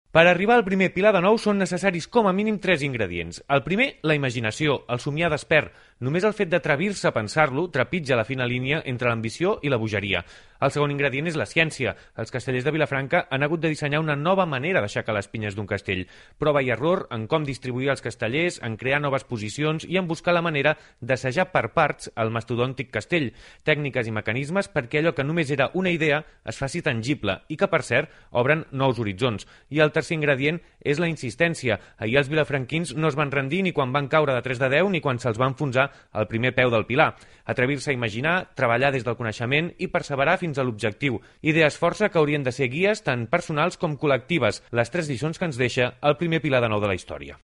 Per arribar al primer pilar de nou són necessaris com a mínim 3 ingredients. El primer, la imaginació, el somiar despert. Només el fet d'atrevir-se a pensar-lo trepitja la fina línia entre l'ambició i la bogeria. El segon ingredient és la ciència. Els castellers de Vilafranca han hagut de dissenyar una nova manera d'aixecar les pinyes d'un castell. Prova i error en com distribuir els castellers, en crear noves posicions i en buscar la manera d'assajar per parts el mastodòntic castell. Tècniques i mecanismes perquè allò que només era una idea es faci tangible i que, per cert, obren nous horitzons. I el tercer ingredient és la insistència. Ahir els vilafranquins no es van rendir ni quan van caure de 3 de 10 ni quan se'ls va enfonsar el primer peu del pilar. Atrevir-se a imaginar, treballar des del coneixement i perseverar fins a l'objectiu. Idees força que haurien de ser guies tant personals com col·lectives, les 3 lliçons que ens deixa el primer pilar de nou de la història.